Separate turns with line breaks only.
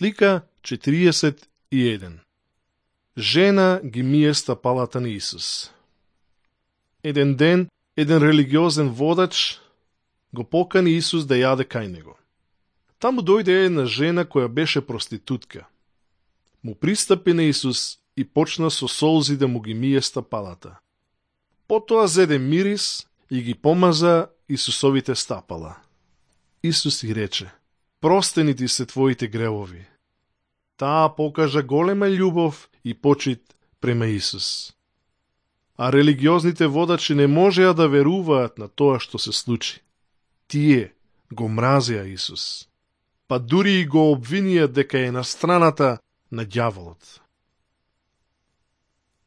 Слика 41. Жена ги мие стапалата на Исус. Еден ден, еден религиозен водач го покани Исус да јаде кај него. Таму дојде една жена која беше проститутка. Му пристапи на Исус и почна со солзи да му ги мие стапалата. Потоа зеде мирис и ги помаза Исусовите стапала. Исус и рече: простени ти се твоите гревови. Таа покажа голема љубов и почит према Исус. А религиозните водачи не можеа да веруваат на тоа што се случи. Тие го мразеа Исус, па дури и го обвинија дека е на страната на ѓаволот.